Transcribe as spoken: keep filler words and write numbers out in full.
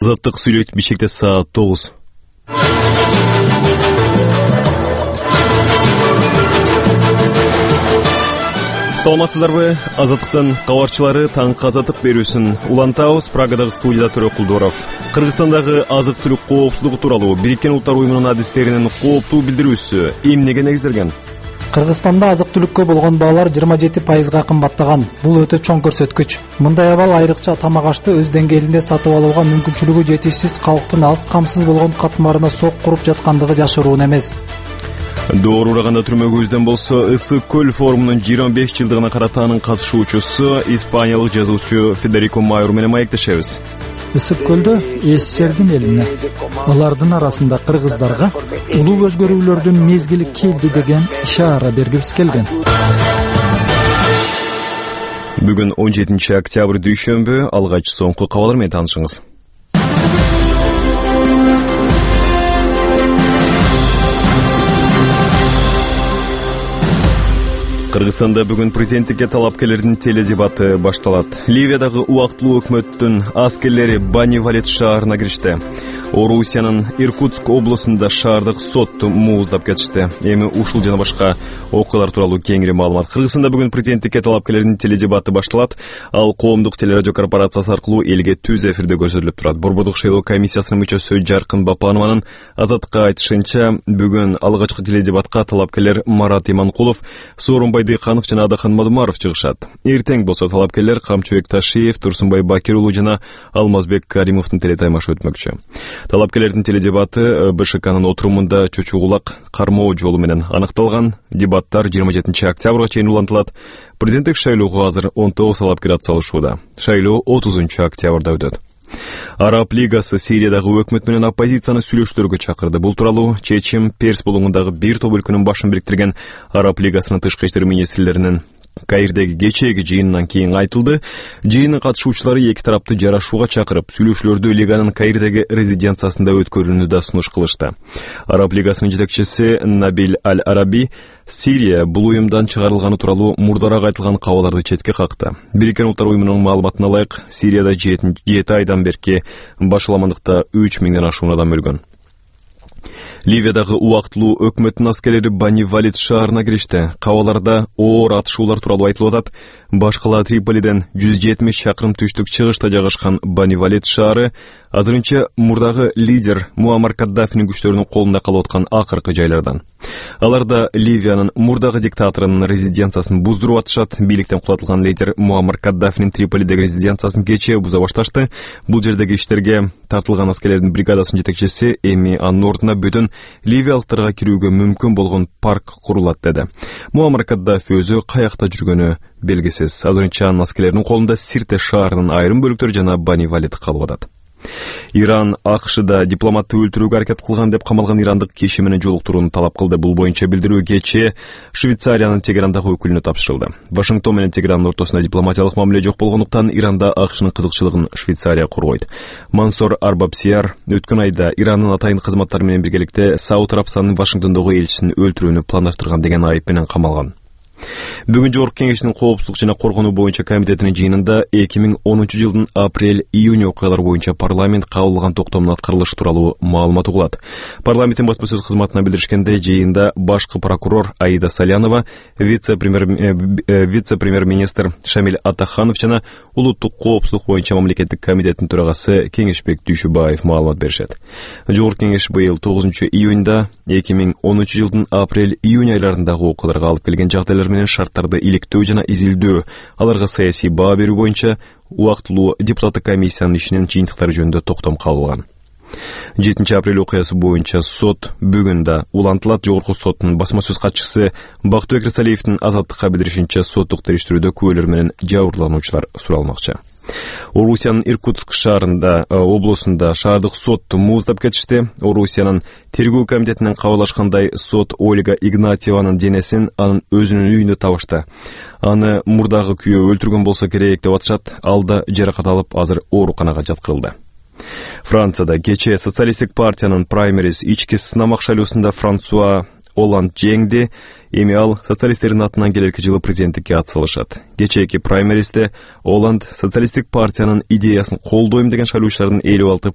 Азаттык сүйлөйт Бишкекте саат тогуз. Саламатсыздарбы? Азаттыктын кабарчылары таңкы азаттык берүүсүн улантабыз. Прагадагы студияда Төрө Кулдоров. Кыргызстандагы азык-түлүк коопсуздугу тууралуу Бириккен Улуттар уюмунун адистеринин кооптуу билдирүүсү эмнеге негизделген? Кыргызстанда азык-түлүккө болгон баалар жыйырма жети пайызга кымбаттаган. Бул өтө чоң көрсөткүч. Мындай абал айрыкча тамак ашты өз деңгээлинде сатып алууга мүмкүнчүлүгү жетишсиз калктын алыс камсыз болгон катмарына сок куруп жаткандыгы жашыруун эмес. Доор ураганда түрмөгүбүздөн болсо Ысык көл форумунун жыйырма беш жылдыгына карата анын катышуучусу испаниялык жазуучу Федерико Майор менен маектешебиз. Ысык көлдө СССРдин элине, алардын арасында кыргыздарга улуу өзгөрүүлөрдүн мезгили келди деген ишаара бергибиз келген. Бүгүн он жетинчи октябрь дүйшөмбү, алгач соңку кабарлар менен таанышыңыз. Кыргызстанда бүгүн президенттикке талапкерлердин теледебаты башталат. Ливиядагы убактылуу өкмөттүн аскерлери Бани-Валет шаарына киришти. Орусиянын Иркутск облусунда шаардык сотту мууздап кетишти. Эми ушул жана башка окуялар тууралуу кеңири маалымат. Кыргызстанда бүгүн президенттикке талапкерлердин теледебаты башталат. Ал коомдук телерадио корпорациясы аркылуу элге түз эфирде көрсөтүлүп турат. Борбордук шейлоо комиссиясынын мүчөсү Жаркын Бапанованын Азаттыкка айтышынча, бүгүн алгачкы теледебатка талапкерлер Марат Иманкулов, Сооронбай Дыйканов жана Адахан Мадумаров чыгышат. Эртең болсо талапкерлер Камчыбек Ташиев, Турсунбай Бакир уулу жана Алмазбек Каримовдун телетаймашы өтмөкчү. Талапкерлердин теледебаты БШКнын отурумунда чөчүгулак кармоо жолу менен анықталган. Дебаттар жыйырма жетинчи октябрга чейин улантылат. Президенттик шайлоого азыр он тогуз талапкер атсалышууда. Шайлоо отузунчу октябрда өтөт. Араб лигасы Сириядагы өкмөт менен оппозицияны сүйлөшүүлөргө чакырды. Бул тууралуу чечим Перс булуңундагы бир топ өлкөнүн башын бириктирген Араб лигасынын тышкы иштер министрлеринин Каирдеги кечээги жыйынынан кийин айтылды. Жыйындын катышуучулары эки тарапты жарашууга чакырып, сүйлөшүүлөрдү лиганын Каирдеги резиденциясында өткөрүүнү да сунуш кылышты. Араб лигасынын жетекчиси Набиль Аль-Араби Сирия бул уюмдан чыгарылганы тууралуу мурдараак айтылган кабарларды четке какты. Бириккен Улуттар уюмунун маалыматына ылайык, Сирияда жети айдан берки башаламандыкта үч миңден ашуун адам өлгөн. Ливиядагы убактылуу өкмөттүн аскерлери Бани-Валет шаарына киришти. Кабарларда оор атышуулар тууралуу айтылып атат. Башкала Триполиден жүз жетимиш чакырым түштүк чыгышта жайгашкан Бани-Валет шаары азырынча мурдагы лидер Муаммар Каддафинин күчтөрүнүн колунда калып аткан акыркы жайлардан. Аларда Ливиянын мурдагы диктаторунун резиденциясын буздуруп атышат. Бийликтен кулатылган лидер Муаммар Каддафинин Триполидеги резиденциясын кечээ буза башташты. Бул жердеги иштерге тартылган аскерлердин бригадасынын жетекчиси эми анын ордуна бүтүн ливиялыктарга кирүүгө мүмкүн болгон парк курулат деди. Муаммар Каддафи өзү каякта жүргөнү белгисиз. Азырынча анын аскерлеринин колунда Сирте шаарынын айрым бөлүктөрү жана Бани-Валет калып атат. Иран АКШда дипломатты өлтүрүүгө аракет кылган деп камалган ирандык киши менен жолуктурууну талап кылды. Бул боюнча билдирүү кечээ Швейцариянын Тегерандагы өкүлүнө тапшырылды. Вашингтон менен Тегерандын ортосунда дипломатиялык мамиле жок болгондуктан Иранда АКШнын кызыкчылыгын Швейцария коргойт. Мансор Арбабсияр өткөн айда Ирандын атайын кызматтары менен биргеликте Сауд Арабстанынын Вашингтондогу элчисин өлтүрүүнү пландаштырган деген айып менен камалган. Бүгүн Жогорку Кеңештин коопсуздук жана коргонуу боюнча комитетинин жыйынында эки миң онунчу жылдын апрель-июнь окуялары боюнча парламент кабыл алган токтомдун аткарылышы тууралуу маалымат угулат. Парламенттин басма сөз кызматына билдиришкендей, жыйында башкы прокурор Аида Салянова, вице-премьер вице-премьер-министр Шамиль Атаханов жана улуттук коопсуздук боюнча мамлекеттик комитеттин төрагасы Кеңешбек Дүйшүбаев маалымат беришет. Жогорку Кеңеш быйыл тогузунчу июнда эки миң онунчу жылдын апрель-июнь айларындагы окуяларга алып келген жагдайлар менен шарттарды иликтөө жана изилдөө, аларга саясий баа берүү боюнча убактылуу депутаттык комиссиянын ишинин жыйынтыктары жөнүндө токтом кабыл алган. жетинчи апрель окуясы боюнча сот бүгүн да улантылат. Жогорку соттун басма сөз катчысы Бактыбек Рысалиевдин Азаттыкка билдиришинче, соттук териштирүүдө күбөлөр менен жабырлануучулар суралмакчы. Орусиянын Иркутск шаарында облусунда шаардык сотту мууздап кетишти. Орусиянын тергөө комитетинен кабарлашкандай, сот Ольга Игнатьеванын денесин анын өзүнүн үйүндө табышты. Аны мурдагы күйөө өлтүргөн болсо керек деп атышат. Ал да жаракат алып, азыр ооруканага жаткырылды. Францияда кечээ социалисттик партиянын праймериз ички сынамак шайлоосунда Франсуа Оланд жеңди. Эми ал социалисттердин атынан келерки жылы президенттикке атсалышат. Кечээки праймеристе Оланд социалисттик партиянын идеясын колдойм деген шайлоочулардын элүү алты